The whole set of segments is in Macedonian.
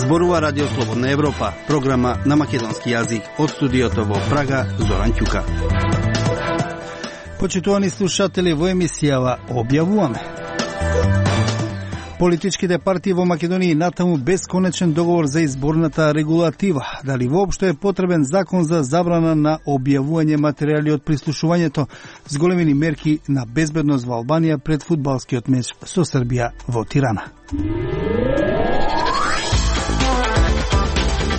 Зборува Радио Слободна Европа, програма на македонски јазик од студиото во Прага, Зоран Ќука. Почитувани слушатели, во емисијава објавуваме: политичките партии во Македонија натаму бесконечен договор за изборната регулатива. Дали воопшто е потребен закон за забрана на објавување материјали од прислушувањето, зголемени мерки на безбедност во Албанија пред фудбалскиот меч со Србија во Тирана.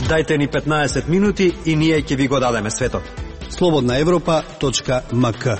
Дајте ни 15 минути и ние ќе ви го дадеме светот. slobodnaevropa.mk.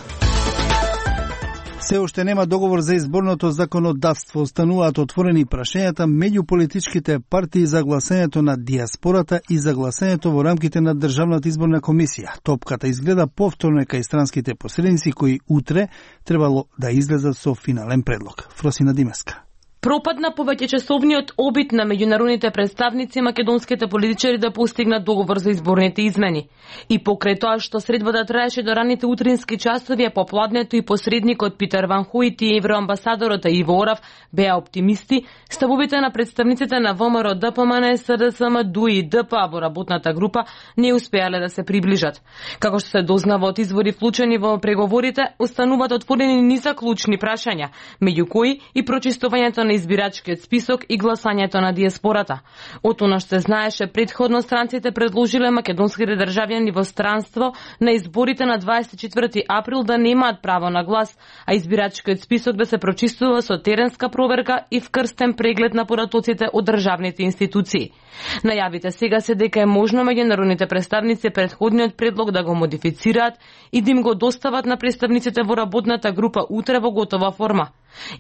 Се уште нема договор за изборното законодавство. Остануваат отворени прашањата меѓу политичките партии за гласањето на диаспората и за гласањето во рамките на Државната изборна комисија. Топката изгледа повторно кај странските посредници кои утре требало да излезат со финален предлог. Фросина Димеска. Пропадна повеќечасовниот обид на меѓународните представници македонските политичари да постигнат договор за изборните измени. И покрај тоа што средбата траеше до раните утрински часови, попладнето и посредникот Питер Ван Хојт и евроамбасадорот Иво Орав беа оптимисти, ставовите на представниците на ВМРО, ДПМН, СДСМ, ДУИ и ДПА во работната група не успеале да се приближат. Како што се дознава од извори вклучени во преговорите, остануваат отворени низа клучни прашања, меѓу кои и прочистувањето на избирачкиот список и гласањето на диаспората. Од она што се знаеше предходно, странците предложиле македонските државјани во странство на изборите на 24 април да немаат право на глас, а избирачкиот список да се прочистува со теренска проверка и вкрстен преглед на поратоците од државните институции. Најавите сега се дека е можно меѓународните представници предходниот предлог да го модифицираат и да им го достават на представниците во работната група утре во готова форма.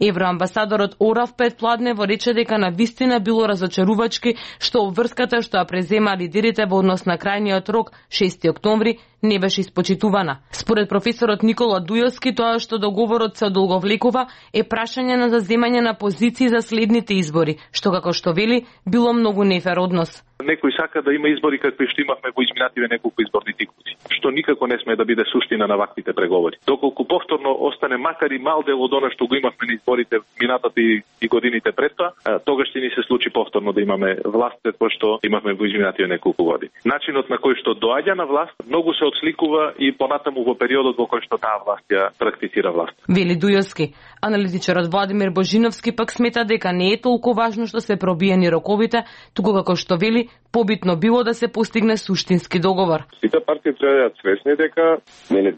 Евроамбасадорот Орав предпладнево рече дека на вистина било разочарувачки што обврската што ја презема лидерите во однос на крајниот рок 6 октомври не беше испочитувана. Според професорот Никола Дујовски, тоа што договорот се одолговлекува е прашање на заземање на позиции за следните избори, што како што вели било многу нефер однос. Некој сака да има избори какви што имавме во изминативе неколку изборни циклуси, што никако не сме да биде суштина на ваквите преговори. Доколку повторно остане макар и мал дел од она што го имавме на изборите минатата и годините пред тоа, тогаш ќе ни се случи повторно да имаме власт кој што имавме во изминативе неколку години. Начинот на кој што доаѓа на власт многу се отсликува и понатаму во периодот во кој што таа власт ја практицира власт. Вели Дујовски. Аналитичарот Владимир Божиновски пак смета дека не е толку важно што се пробиени роковите, туку како што вели побитно било да се постигне суштински договор. Сите партии треба да свесни дека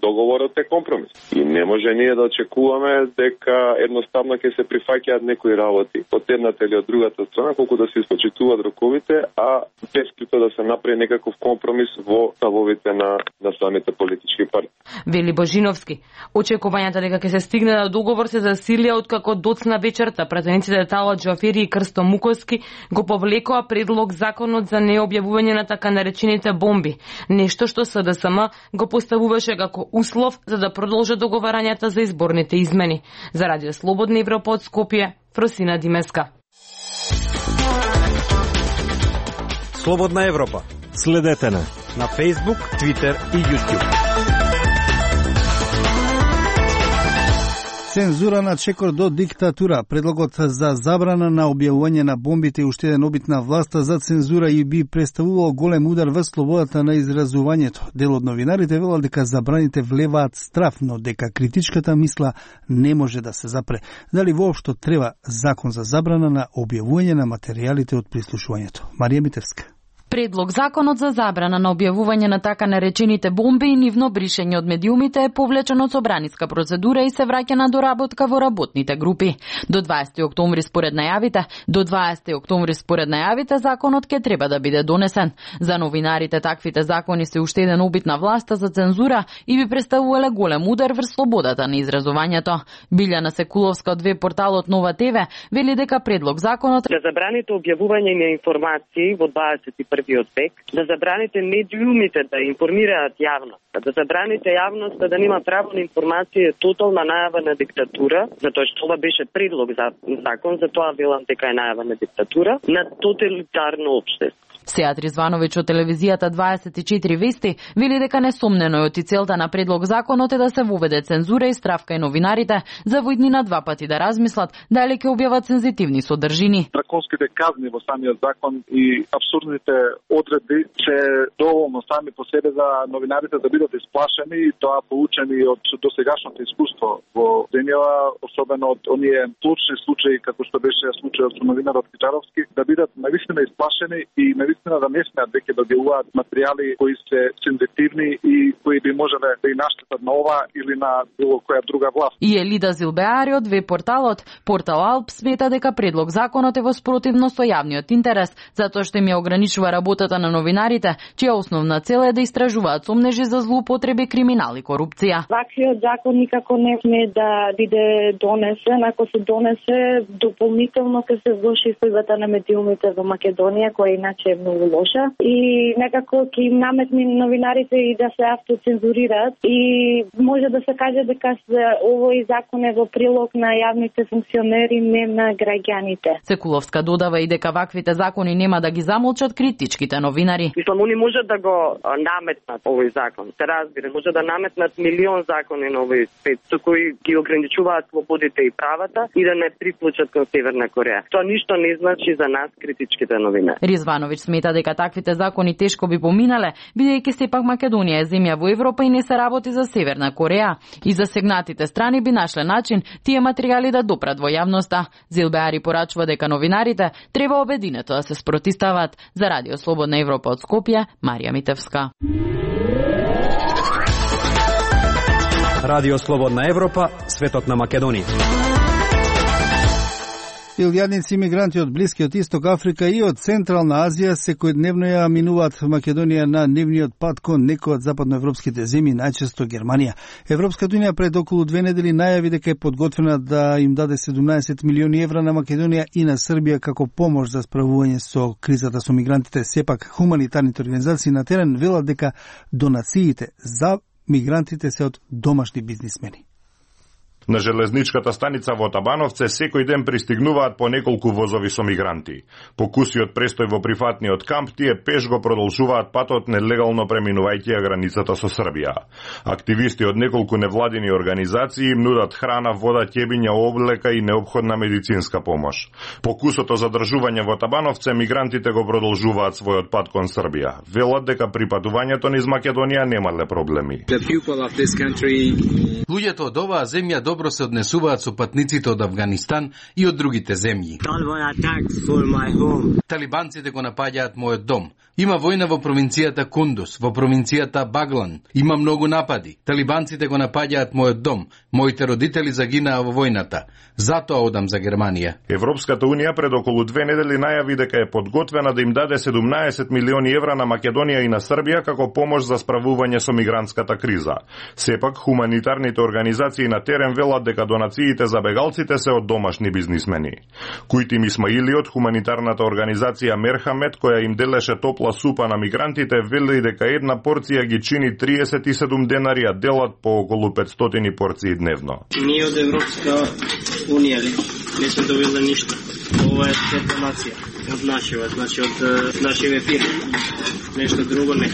договорот е компромис и не може ние да очекуваме дека едноставно ќе се прифаќаат некои работи од едната или од другата страна колку да се испочитуваат роковите, а бескрито да се направи некаков компромис во ставовите на самите политички партии. Вели Божиновски. Очекувањата дека ќе се стигне до договор се засилија откако доцна вечерта пратениците Тала Џафери и Крсто Муковски го повлекоа предлог законот за необјавување на така наречените бомби, нешто што СДСМ го поставуваше како услов за да продолжат договарањата за изборните измени. За Радио Слободна Европа од Скопје, Фросина Димеска. Слободна Европа. Следете на Facebook, Twitter и YouTube. Цензура на чекор до диктатура. Предлогот за забрана на објавување на бомбите е уште еден обид на власта за цензура и би представувал голем удар во слободата на изразувањето. Дел од новинарите велат дека забраните влеваат страв, но дека критичката мисла не може да се запре. Дали воопшто треба закон за забрана на објавување на материјалите од прислушувањето? Марија Митевска. Предлог законот за забрана на објавување на така наречените бомби и нивно бришење од медиумите е повлечен од собраниска процедура и се враќа на доработка во работните групи. До 20 октомври според најавите законот ќе треба да биде донесен. За новинарите таквите закони се уште еден обид на власта за цензура и би представувале голем удар врз слободата на изразувањето. Билјана Секуловска од веб-порталот Нова ТВ вели дека предлог законот да забраните објавување на информации во 21 век, да забраните медиумите да информираат јавноста, да забраните јавноста да нема право на информација е тотална најава на диктатура, затоа што ова беше предлог за закон, затоа велам дека е најава на диктатура, на тоталитарно општество. Сеат Ризвановиќ од телевизијата 24 вести вели дека несомнено е оти целта на предлог законот е да се воведе цензура и стравка и новинарите за во иднина два пати да размислат дали ќе објават сензитивни содржини. Драконските казни во самиот закон и абсурдните одредби се доволно сами по себе за новинарите да бидат исплашени и тоа поучени од досегашното искуство во денева, особено од оние случни случаи како што беше случајот со новинарот Кичаровски, да бидат навистина исплашени и навистина да не смеат веќе да објавуваат материјали кои се сензитивни и кои би можеле да и наштетат на ова или на било која друга власт. И Елида Зилбеари од веб-порталот Портал Алп смета дека предлог законот е во спротивно со јавниот интерес, затоа што им ја ограничува работата на новинарите, чија основна цел е да истражуваат сомнежи за злоупотреби, криминал и корупција. Ваквиот закон никако не сме да биде донесен, ако се донесе дополнително ќе се влоши сојбата на медиумите во Македонија, која иначе е многу лоша и некако ќе им наметни новинарите и да се автоцензурираат и може да се каже дека овој закон е во прилог на јавните функционери, не на граѓаните. Секуловска додава и дека ваквите закони нема да ги замолчат критичките новинари. Мислам, они може да го наметнат овој закон. Се разбира, може да наметнат милион закони на овој свет, со кои ги ограничуваат слободите и правата и да не приклучат кон Северна Кореја. Тоа ништо не значи за нас, критичките новинари. Ризвановиќ смета дека таквите закони тешко би поминале, бидејќи сепак Македонија е земја во Европа и не се работи за Северна Кореја. И засегнатите страни би нашле начин тие материјали да допрат во јавноста. Зилбеари порачува дека новинарите треба обединето да се спротивстават. За Радио Слободна Европа од Скопје, Марија Митевска. Радио Слободна Европа, светот на Македонија. Илјадници имигранти од Блискиот Исток, Африка и од Централна Азија секојдневно ја минуваат Македонија на нивниот пат кон некои од западноевропските земји, најчесто Германија. Европската унија пред околу 2 недели најави дека е подготвена да им даде 17 милиони евра на Македонија и на Србија како помош за справување со кризата со мигрантите. Сепак хуманитарните организации на терен велат дека донациите за мигрантите се од домашни бизнисмени. На железничката станица во Табановце секој ден пристигнуваат по неколку возови со мигранти. По кусиот престој во прифатниот камп, тие пеш го продолжуваат патот нелегално преминувајќи ја границата со Србија. Активисти од неколку невладини организации им нудат храна, вода, ќебиња, облека и неопходна медицинска помош. По кусото задржување во Табановце, мигрантите го продолжуваат својот пат кон Србија. Велат дека при патувањето низ Македонија немале проблеми. Луѓето од оваа земја добро се однесуваат со патниците од Афганистан и од другите земји. Талибанците го напаѓаат мојот дом. Има војна во провинцијата Кундус, во провинцијата Баглан. Има многу напади. Талибанците го напаѓаат мојот дом. Моите родители загинаа во војната. Затоа одам за Германија. Европската унија пред околу 2 недели најави дека е подготвена да им даде 17 милиони евра на Македонија и на Србија како помош за справување со мигрантската криза. Сепак хуманитарните организации на терен велат дека донациите за бегалците се од домашни бизнисмени. Кујтим Исмаили од хуманитарната организација Мерхамет, која им делеше топла супа на мигрантите, вели дека една порција ги чини 37 денари, а делат по околу 500 порции дневно. Ние од Европска унија не сме добили ништо. Ова е донација од нашива, значи од нашиве фирми. Нешто друго не.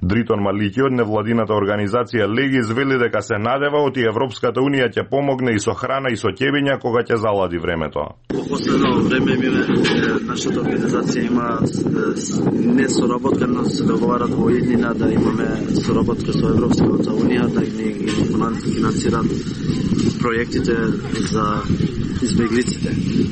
Дритон Малики од невладината организација Легис вели дека се надева оти Европската унија ќе помогне и со храна и со ќебиња кога ќе залади времето. Во последно време нашата организација има несоработка, но се договарат во иднина да имаме соработка со Европската унија да ги финансират проектите за избеглиците.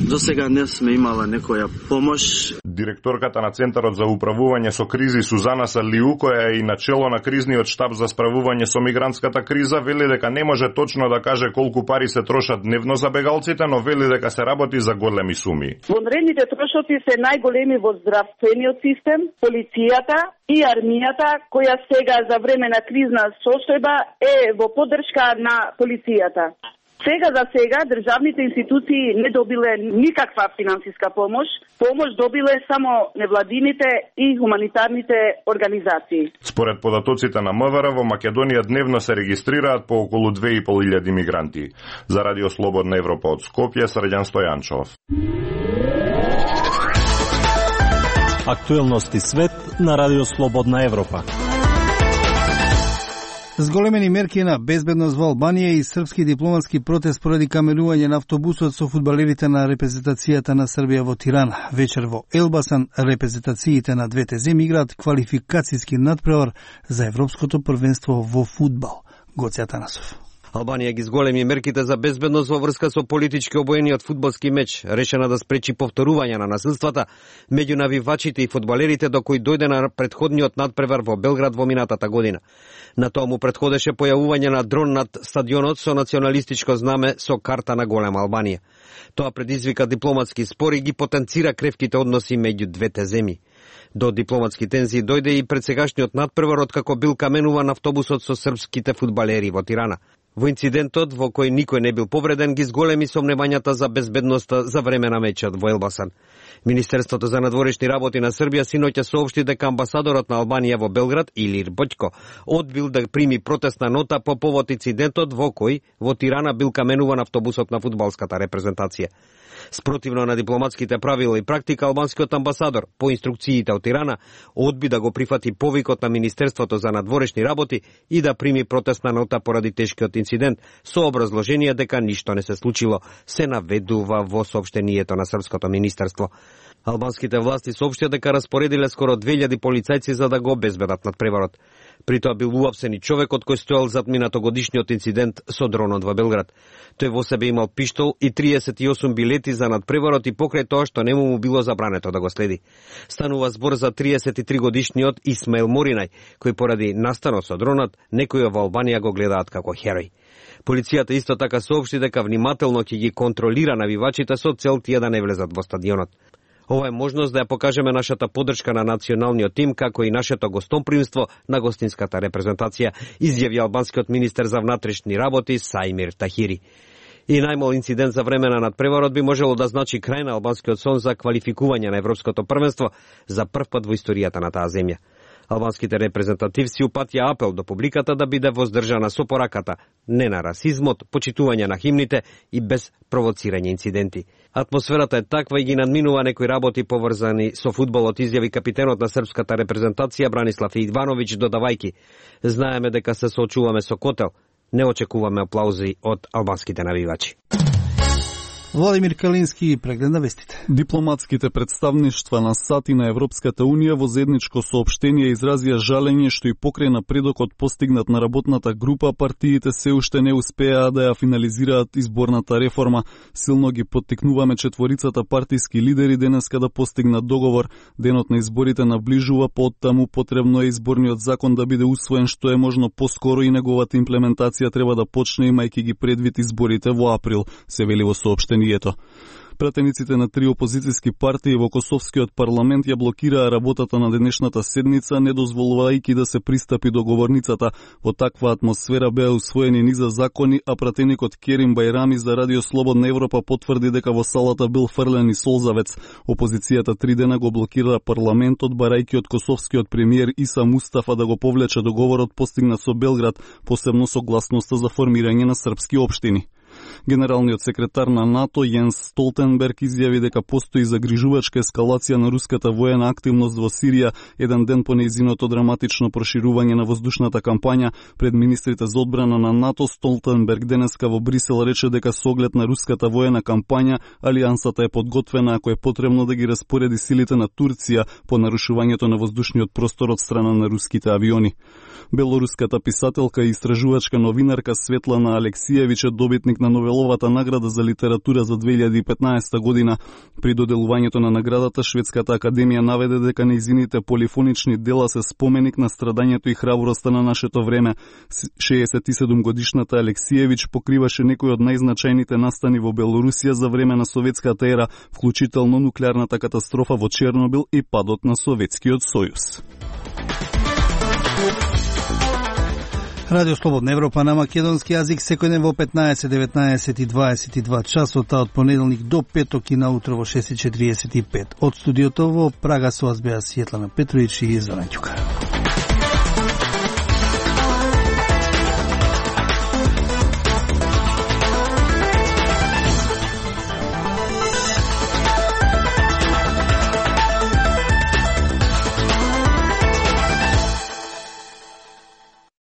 До сега не сме имала некоја помош. Директорката на Центарот за управување со кризи Сузана Салиу, која е и начело на кризниот штаб за справување со мигрантската криза, вели дека не може точно да каже колку пари се трошат дневно за бегалците, но вели дека се работи за големи суми. Вонредните трошоци се најголеми во здравствениот систем, полицијата и армијата, која сега за време на кризна состојба е во поддршка на полицијата. Сега за сега државните институции не добиле никаква финансиска помош. Помош добиле само невладините и хуманитарните организации. Според податоците на МВР во Македонија дневно се регистрираат по околу 2500 мигранти. За Радио Слободна Европа од Скопје, Срđan Стојанчов. Актуелности свет на Радио Слободна Европа. Зголемени мерки на безбедност во Албанија и српски дипломатски протест поради каменување на автобусот со фудбалерите на репрезентацијата на Србија во Тирана. Вечер во Елбасан репрезентациите на двете земји играат квалификацијски надпревар за Европското првенство во фудбал. Гоце Атанасов. Албанија ги зголеми мерките за безбедност во врска со политички обоениот фудбалски меч, решена да спречи повторување на насилствата меѓу навивачите и фудбалерите до кои дојде на претходниот надпревар во Белград во минатата година. На тоа му претходеше појавување на дрон над стадионот со националистичко знаме со карта на голема Албанија. Тоа предизвика дипломатски спор и ги потенцира кревките односи меѓу двете земји. До дипломатски тензии дојде и пред сегашниот надпревар откако бил каменуван автобусот со српските фудбалери во Тирана. Во инцидентот, во кој никој не бил повреден, ги зголеми сомневањата за безбедноста за време на мечот во Елбасан. Министерството за надворешни работи на Србија синоќа соопшти дека амбасадорот на Албанија во Белград, Илир Боќко, одбил да прими протестна нота по повод инцидентот во кој во Тирана бил каменуван автобусот на фудбалската репрезентација. Спротивно на дипломатските правила и практика, албанскиот амбасадор, по инструкциите од Тирана, одби да го прифати повикот на Министерството за надворешни работи и да прими протестна нота поради тешкиот инцидент, со образложение дека ништо не се случило, се наведува во соопштението на Српското министерство. Албанските власти соопштија дека распоредиле скоро 2000 полицајци за да го обезбедат надпреварот. При тоа бил уапсен и човекот кој стоел зад минатогодишниот инцидент со дронот во Белград. Тој во себе имал пиштол и 38 билети за надпреварот и покрај тоа што нему му било забрането да го следи. Станува збор за 33 годишниот Исмаил Моринај, кој поради настанот со дронот некои во Албанија го гледаат како херој. Полицијата исто така соопшти дека внимателно ќе ги контролира навивачите со цел тие да не влезат во стадионот. Ова е можност да ја покажеме нашата поддршка на националниот тим, како и нашето гостопримство на гостинската репрезентација, изјави албанскиот министер за внатрешни работи Сајмир Тахири. И најмал инцидент за време на надпреварот би можело да значи крај на албанскиот сон за квалификување на Европското првенство за прв пат во историјата на таа земја. Албанските репрезентативци упатија апел до публиката да биде воздржана со пораката, не на расизмот, почитување на химните и без провоцирање инциденти. Атмосферата е таква и ги надминува некои работи поврзани со фудбалот, изјави капитенот на српската репрезентација Бранислав Ивановиќ додавајки: знаеме дека се соочуваме со котел, не очекуваме аплаузи од албанските навивачи. Владимир Калински преглед на вестите. Дипломатските представништва на САД и на Европската Унија во заедничко соопштение изразија жалење што и покрај напредокот постигнат на работната група, партиите се уште не успеа да ја финализираат изборната реформа. Силно ги поттикнуваме четворицата партиски лидери денеска да постигнат договор. Денот на изборите наближува, поттаму потребно е изборниот закон да биде усвоен што е можно поскоро и неговата имплементација треба да почне имајќи ги предвид изборите во април, се вели во соопштение. Пратениците на 3 опозицијски партии во Косовскиот парламент ја блокираа работата на денешната седница, не дозволувајќи да се пристапи до говорницата. Во таква атмосфера беа усвоени низа закони, а пратеникот Керим Бајрами за Радио Слободна Европа потврди дека во салата бил фрлен и солзавец. Опозицијата 3 дена го блокира парламентот, барајќи од косовскиот премиер Иса Мустафа да го повлече договорот постигнат со Белград, посебно согласноста за формирање на српски општини. Генералниот секретар на НАТО Јенс Столтенберг изјави дека постои загрижувачка ескалација на руската воена активност во Сирија еден ден по нејзиното драматично проширување на воздушната кампања. Пред министрите за одбрана на НАТО Столтенберг денеска во Брисел рече дека со оглед на руската воена кампања алијансата е подготвена ако е потребно да ги распореди силите на Турција по нарушувањето на воздушниот простор од страна на руските авиони. Белоруската писателка и истражувачка новинарка Светлана Алексиевиќ е добитник на Новеловата награда за литература за 2015 година. При доделувањето на наградата Шведската академија наведе дека нејзините полифонични дела се споменик на страдањето и храброста на нашето време. 67 годишната Алексиевиќ покриваше некои од најзначајните настани во Белорусија за време на советската ера, вклучително нуклеарната катастрофа во Чернобил и падот на Советскиот сојуз. Радио Слободна Европа на македонски јазик секој ден во 15, 19 и 22 часот, од понеделник до петок и наутро во 6:45. Од студиото во Прага со вас беа Светлана Петровиќ и Зоран Ќука.